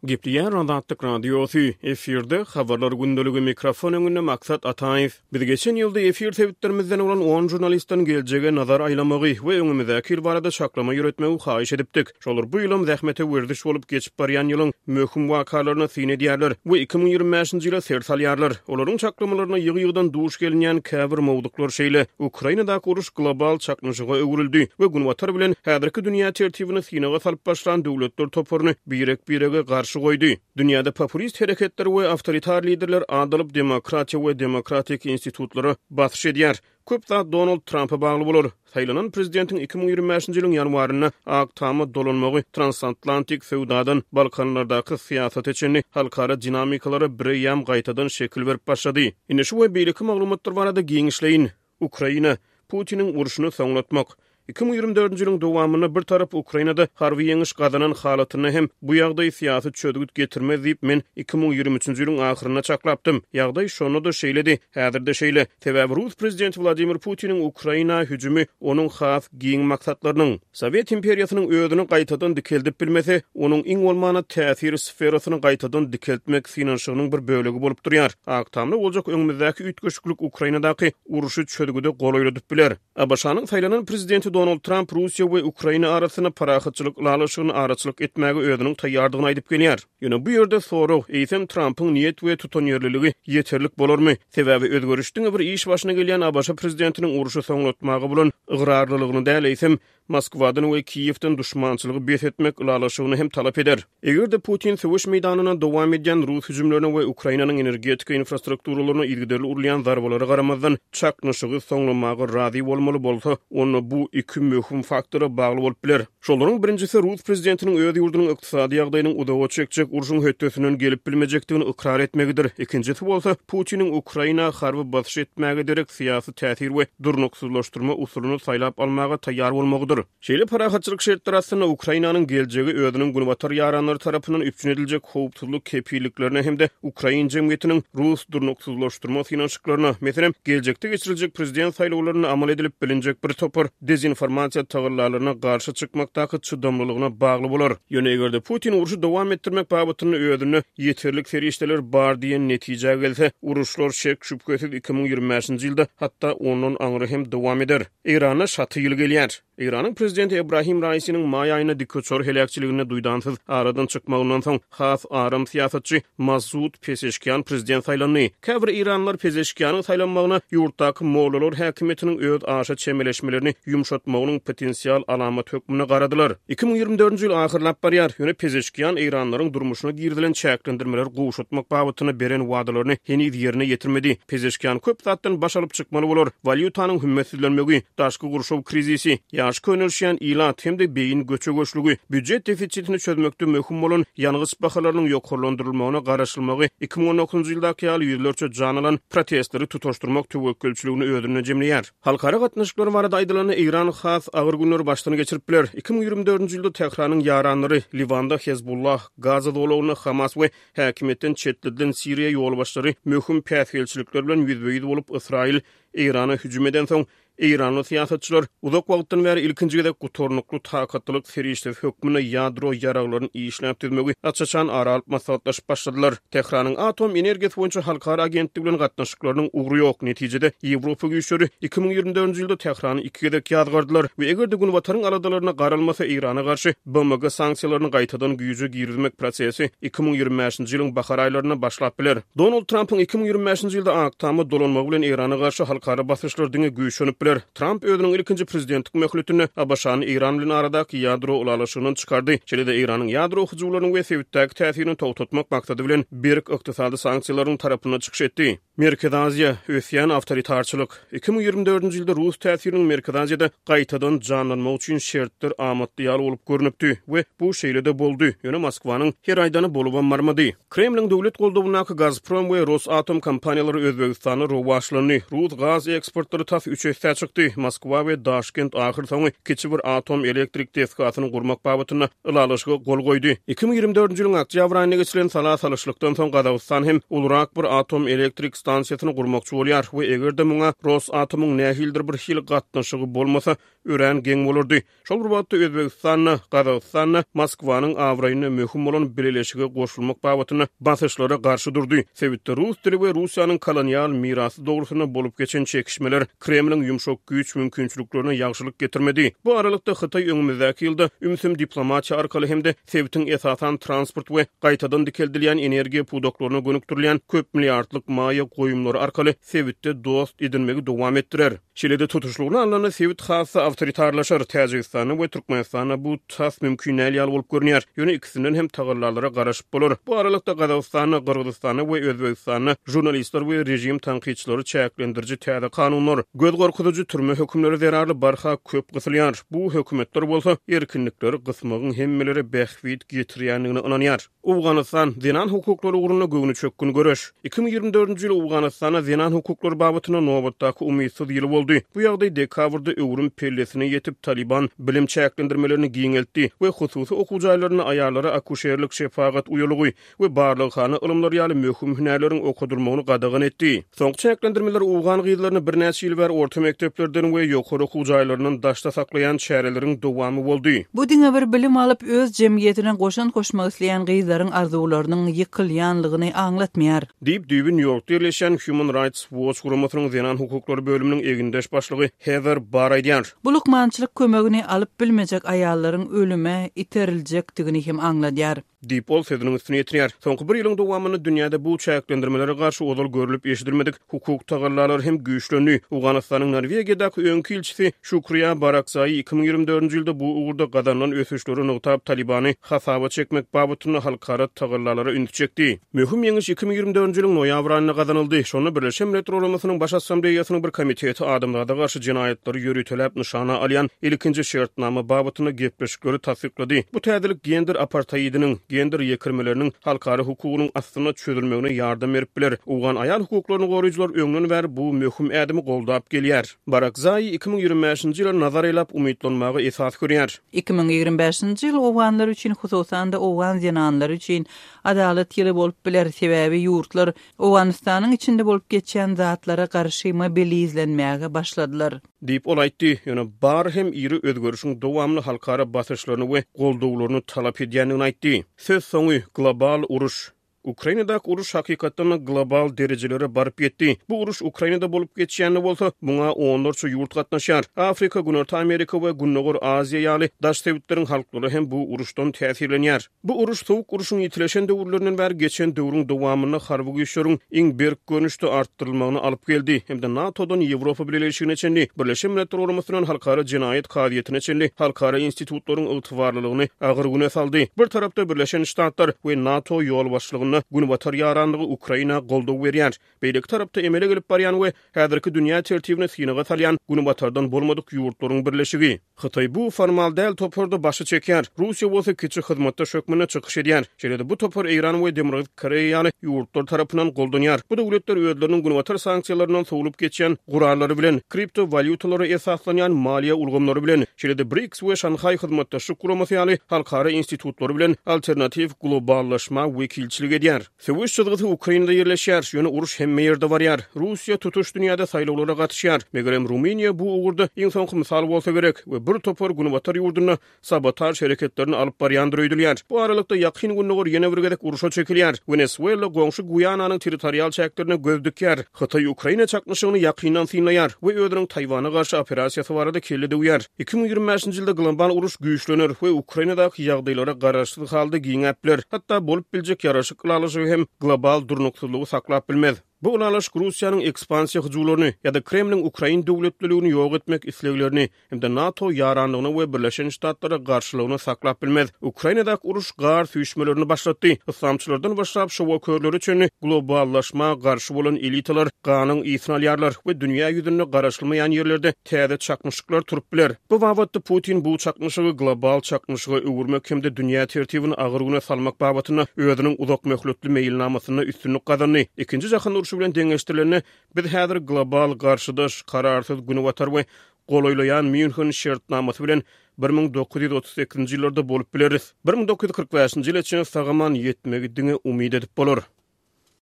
Gepleýär Azatlyk Radiosy, efirde Habarlar gündeligi, mikrofon öňünde Maksat Ataýew. Biz geçen ýylda efir sebitlerimizden bolan on žurnalistden geljege nazar aýlamagy we öňümizdäki ýyl barada çaklama ýöretmegi haýyş edipdik. Şolar bu ýylam zähmete werziş bolup geçip barýan ýylyň möhüm wakalaryna syn edýärler we 2025-nji ýyla ser salýarlar. Olaryň çaklamalaryna ýygy-ýygydan duş gelinýän käbir mowzuklar şeýle, Ukrainadaky uruş global çaknyşyga öwrüldi we Günbatar bilen häzirki dünýä tertibini synaga salyp başlan döwletler toparyny birek-birege garşy goýdy. Dünýäde populist hereketler we awtoritar liderler at alyp, demokratiýa we demokratik institutlara basyş edýär. Köp zat Donald Trampa bagly bolar. Saýlanan prezidentiň 2025-nji ýylyň ýanwarynda Ak Tama dolanmagy transatlantik söwdadan Balkanlardaky syýasata çenli halkara dinamikalara bireýýäm gaýtadan şekil berip başlady. Indi şu we beýleki maglumatlar barada giňişleýin. Ukraina, Putiniň urşuny soňlatmak. 2024-nji ýylyň dowamynda bir tarap Ukrainada harby ýeňiş gazanan halatynda hem bu ýagdaý syýasy çözgüt getirmez diýip, men 2023-nji ýylyň ahyrynda çaklapdym. Ýagdaý şonda-da şeýledi, häzir-de şeýle. Sebäbi rus prezidenti Wladimir Putiniň Ukraina hüjümi onuň has giň maksatlarynyň, Sowet imperiýasynyň özüni gaýtadan dikeldip bilmese, onuň iň bolmanda täsir sferasyny gaýtadan dikeltmek synanyşygynyň bir bölegi bolup durýar. Ak Tamda boljak öňümizdäki üýtgeşiklik Ukrainadaky urşy çözgüde golaýladyp biler. ABŞ-nyň saýlanan prezidenti Donald Tramp Russiýa we Ukraina arasynda parahatçylyk ylalaşygyna araçylyk etmäge özüniň taýýardygyny aýdyp gelýär. Ýöne bu ýerde sorag, eýsem Trampyň niýet we tutanýerliligi ýeterlik bolarmy? Sebäbi özgeriş diňe bir iş başyna gelýän ABŞ prezidentiniň urşy soňlatmaga bolan ygrarlylygyny däl, eýsem, Moskwadan we Kiýewden duşmançylygy bes etmek ylalaşygyny hem talap eder. Eger-de Putin söweş meýdanynda dowam edýän rus hüjümlerine we Ukrainanyň energetika infrastrukturalaryna yzygiderli urulýan zarbalara garamazdan, çaknyşygy soňlamaga razy bolmaly bolsa, onda bu iki möhüm faktora bagly bolup biler. Şolaryň birinjisi rus prezidentiniň öz ýurdunyň ykdysady ýagdaýynyň uzaga çekjek urşuň hötdesinden gelip bilmejekdigini ykrar etmegidir. Ikinjisi bolsa, Putiniň Ukraina harby basyş etmäge derek syýasy täsir we durnuksyzlaşdyrma usulyny saýlap almaga taýýar bolmagydyr. Şeýle parahatçylyk şertleri astynda Ukrainanyň geljegi özüniň günbatar ýaranlary tarapyndan üpjün ediljek howpsuzlyk kepilliklerine hem-de ukrain jemgyýetiniň rus durnuksyzlaşdyrma synanyşyklaryna, meselem, geljekde geçiriljek prezident saýlawlarynda amal edilip bilinjek bir topar dezinformasiýa tagallalaryna garşy çykmakdaky çydamlylygyna bagly bolar. Ýöne eger-de Putin urşy dowam etdirmek babatynda özünde ýeterlik serişdeler bar diýen netijä gelse, uruşlar şek-şübhesiz 2025-nji ýylda, hatda ondan aňry hem dowam eder. Eýranda şaty ýyl gelýär. Eýranyň prezidenti Ebrahim Raisiniň maý aýynda dikuçar heläkçiliginde duýdansyz aradan çykmagyndan soň, has aram syýasatçy Masud Pezeşkian prezident saýlandy. Käbir eýranlylar Pezeşkianyň saýlanmagyna ýurtdaky mollalar häkimiýetiniň öz aşa çemeleşmelerini ýumşatmagynyň potensial alamaty hökmünde garadylar. 2024-nji ýyl ahyrlap barýar, ýöne Pezeşkian eýranlylaryň durmuşyna girizilen çäklendirmeleri gowşatmak babatynda beren wadalaryny heniz ýerine ýetirmedi. Pezeşkian köp zatdan baş alyp çykmaly bolar, walýutanyň hümmetsizlenmegi, daşky gurşaw krizisi, ýaşy könelişýän ilat hem-de beýin göçe-göçlügi, býujet defisitini çözmekde möhüm bolan ýangyç bahalarynyň ýokarlandyrylmagyna garaşylmagy 2019-njy ýyldaky ýaly ýüzlerçe jan alan protestleri tutaşdyrmak töwekgelçiligini özünde jemleýär. Halkara gatnaşyklary barada aýdylanda, Eýran has agyr günleri başdan geçirip biler. 2024-nji ýylda Tähranyň ýaranlary, Liwanda Hezbollah, Gaza zolagynda Hamas we häkimiýetden çetledilen Siriýa ýolbaşçylary möhüm päsgelçilikler bilen ýüzbe-ýüz bolup, Ysraýyl Eýrana hüjüm edensoň, eýranly syýasatçylar uzak wagtdan bäri ilkinji gezek gutarnykly takatlylyk serişdesi hökmünde ýadro ýaraglaryny işläp düzmegi aç-açan ara alyp maslahatlaşyp başladylar. Tähranyň Atom energiýasy boýunça halkara agentligi bilen gatnaşyklarynyň ugry ýok. Netijede, Ýewropa güýçleri 2024-nji ýylda Tährany iki gezek ýazgardylar we eger-de Günbataryň aladalaryna garalmasa, Eýrana garşy BMG sanksiýalaryny gaýtadan güýje girizmek prosesi 2025-nji ýylyň bahar aýlarynda başlap biler. Donald Trampyň 2025-nji ýylda Ak Tama dolanmagy bilen Eýrana garşy halkara basyşlar diňe güýçlenip biler. Tramp özüniň ilkinji prezidentlik möhletinde ABŞ-ny Eýran bilen aradaky ýadro ylalaşygyndan çykardy, şeýle-de Eýranyň ýadro hyjuwlaryny we sebitdäki täsirini togtatmak maksady bilen berk ykdysady sanksiýalaryň tarapynda çykyş etdi. Merkezi Aziýa, ösýän awtoritarçylyk. 2024-nji ýylda rus täsiriniň Merkezi Aziýada gaýtadan janlanmagy üçin şertler amatly ýaly bolup görnüpdi we bu şeýle-de boldy, ýöne Moskwanyň her aýdany bolubam barmady. Kremliň döwlet goldawyndaky Gazprom we Rosatom kompaniýalary Özbegistanda rowaçlandy. Rus gaz eksportlary tas üç essä çykdy. çykdy. Moskwa we Daşkent ahyrsoňy kiçi bir atom elektrik desgasyny gurmak babatynda ylalaşyga gol goýdy. 2024-nji ýylyň oktýabr aýynda geçirilen sala salyşlykdan soň Gazagystan hem ulurak bir atom elektrik stansiýasyny gurmakçy bolýar we eger-de muňa Rosatomyň nähilidir bir hili gatnaşygy bolmasa, örän geň bolardy. Şol bir wagtda Özbegistan-da, Gazagystan-da Moskwanyň abraýyna möhüm bolan bileleşige goşulmak babatynda basyşlara garşy durdy. Sebitde rus dili we Russiýanyň kolonial mirasy dogrusynda bolup geçen çekişmeler Kremliň ýumşak güýç mümkinçiliklerine ýagşylyk getirmedi. Bu aralykda Hytaý öňümizdäki ýylda ümsüm diplomatiýa arkaly hem-de sebitiň esasan transport we gaýtadan dikeldilýän energiýa pudaklaryna gönükdirilýän köp milliardlyk maýa goýumlary arkaly sebitde dost edinmegi dowam etdirer. Şeýle-de tutuşlygyna alnanda sebit has-da awtoritarlaşar. Täjigistanda we Türkmenistanda bu tas mümkin däl ýaly bolup görünýär. Ýöne ikisinden hem tagallalara garaşyp bolar. Bu aralykda Gazagystanda, Gyrgyzystanda we Özbegistanda žurnalistler we režim tankytçylary çäklendiriji täze kanunlar, göz gorkuzyjy türme hökümleri zerarly barha köp gysylýar. Bu hökümetler bolsa erkinlikleri gysmagyň hemmelere bähbit getirýändigine ynanýar. Owganystan, zenan hukuklary ugrunda göwnüçökgün göreş. 2024-nji ýyl Owganystanda zenan hukuklary babatynda nobatdaky umytsyz ýyl boldy. Bu ýagdaý dekabrda öwrüm pellesine ýetip, Talyban bilim çäklendirmelerini giňeltdi we hususy okuw jaýlarynda aýallara akuşerlik, şepagat uýalygy we barlaghana ylymlary ýaly möhüm hünärleriň okadylmagyny gadagan etdi. Soňky çäklendirmeler owgan gyzlaryny birnäçe ýyl bäri orta mekdeplerden we ýokary okuw jaýlaryndan daşda saklaýan çäreleriň dowamy boldy. Bu diňe bir bilim alyp, öz jemgyýetine goşant goşmak isleýän gyzlaryň arzuwlarynyň ýykylýanlygyny aňlatmaýar. Diýip, düýbi Nýu-Ýorkda ýerleşýän Human Rights Watch guramasynyň zenan hukuklary bölüminiň egindeş başlygy Heather Barr aýdýar. Bu lukmançylyk kömegini alyp bilmejek aýallaryň ölüme iteриljekdigini hem aňladýar. Diýip, ol sözüniň üstüni ýetirýär. Soňky bir ýylyň dowamynda dünýäde bu çäklendirmelere garşy ozal görlüp-eşidilmedik hukuk tagallalary hem güýçlendi. Owganystanyň Norwegiýadaky öňki ilçisi Şukriýa Barakzaýy 2024-nji ýylda bu ugurda gazanylan ösüşleri nygtap, Talybany hasaba çekmek babatynda halkara tagallalara ünsi çekdi. Möhüm ýeňiş 2024-nji ýylyň noýabr aýynda gazanyldy. Şonda Birleşen Milletler Guramasynyň Baş Assambleýasynyň bir komiteti adamzada garşy jenaýatlary ýöriteläp nyşana alýan ilkinji şertnama babatynda gepleşikleri tassyklady. Bu täzelik gender aparteidiniň, gender ýekirmeleriniň halkara hukugynyň astynda çözülmegine ýardam berip biler. Owgan aýal hukuklaryny goraýjylar öňden bäri bu möhüm ädimi goldap gelýär. Barakzaýi 2025-nji ýyla nazar aýlap umytlanmaga esas görýär. 2025-nji ýyl owganlar üçin, hususan-da owgan zenanlary üçin Adalat ýyly bolup biler, sebäbi ýurtlar Owganystanyň içinde bolup geçýän zatlara garşy mobilizlenmäge başladylar. Diýip, ol aýtdy. Ýöne Barr hem iri özgerişiň dowamly halkara basyşlaryny we goldawlaryny talap edýändigini aýtdy. Söz soňy, Global uruş. Ukrainadaky uruş hakykatdan-da global derejelere baryp ýetdi. Bu uruş Ukrainada bolup geçýän-de bolsa, muňa onlarça ýurt gatnaşýar. Afrika, Günorta Amerika we Gündogar Aziýa ýaly daş sebitleriň halklary hem bu uruşdan täsirlenýär. Bu uruş Sowuk urşuň ýitileşen döwürlerinden bäri geçen döwrüň dowamynda harby güýçleriň iň berk görnüşde artdyrylmagyna alyp geldi hem-de NATO-dan Ýewropa Bileleşigine çenli, Birleşen Milletler Guramasyndan Halkara Jenaýat Kazyýetine çenli halkara institutlaryň ygtybarlylygyny agyr güne saldy. Bir tarapda Birleşen Ştatlar we NATO ýolbaşçylygynda Günbatar ýaranlygy Ukraina goldaw berýär. Beýleki tarapda emele gelip barýan we häzirki dünýä tertibini synaga salýan Günbatardan bolmadyk ýurtlaryň birleşigi. Hytaý bu formal däl toparda başy çekýär, Russiýa bolsa kiçi hyzmatdaş hökmünde çykyş edýär. Şeýle-de bu topar Eýran we Demirgazyk Koreýa ýaly ýurtlar tarapyndan goldanýar. Bu döwletler özleriniň Günbatar sanksiýalaryndan sowlup geçýän gurallary bilen, kripto walýutalara esaslanýan maliýe ulgamlary bilen, şeýle-de BRICS we Şanhaý Hyzmatdaşlyk Guramasy ýaly halkara institutlary bilen alternatiw globallaşma wekilçilik edýär. Söweş çyzgysy Ukrainada ýerleşýär, ýöne uruş hemme ýerde barýar. Russiýa tutuş dünýäde saýlawlara gatyşýar. Megerem, Rumyniýa bu ugurda iň soňky mysal bolsa gerek we bir topar günbatar ýurdunda sabotaž hereketlerini alyp barýandyr öýdülýär. Bu aralykda, Ýakyn Gündogar ýene bir gezek urşa çekilýär. Wenesuela goňşy Guýananyň territorial çäklerine göz dikýär. Hytaý Ukraina çaknyşygyny ýakyndan synlaýar we özüniň Taýwana garşy operasiýasy barada kelle döwýär. 2025-nji ýylda global uruş güýçlener we Ukrainadaky ýagdaýlara garaşsyz halda giňäp biler. Hatda bolup biljek ýaraşyk ylalaşygy hem global durnuksyzlygy saklap bilmez. Bu ylalaşyk Russiýanyň ekspansiýa hyjuwlaryny ýa-da Kremliň ukrain döwletliligini ýok etmek isleglerini hem-de NATO ýaranlygyna we Birleşen Ştatlara garşylygyny saklap bilmez. Ukrainadaky uruş gar süýşmelerini başlatdy. Yslamçylardan başlap şowakörlere çenli globallaşma garşy bolan elitalar ganyň ysyny alýarlar we dünýä ýüzünde garaşylmaýan ýerlerde täze çaknyşyklar turup biler. Bu babatda Putin bu çaknyşygy global çaknyşyga öwürmek hem-de dünýä tertibini agyr güne salmak babatynda özüniň uzakmöhletli meýilnamasynda üstünlik gazandy. Ikinji jahan urşy. urşy bilen deňeşdirilende, biz häzir global garşydaş, kararsyz Günbatar we golaýlaýan Mýunhen şertnamasy bilen 1938-nji ýyllarda bolup bileris. 1945-nji ýyla çenli sag-aman ýetmegi diňe umyt edip bolar.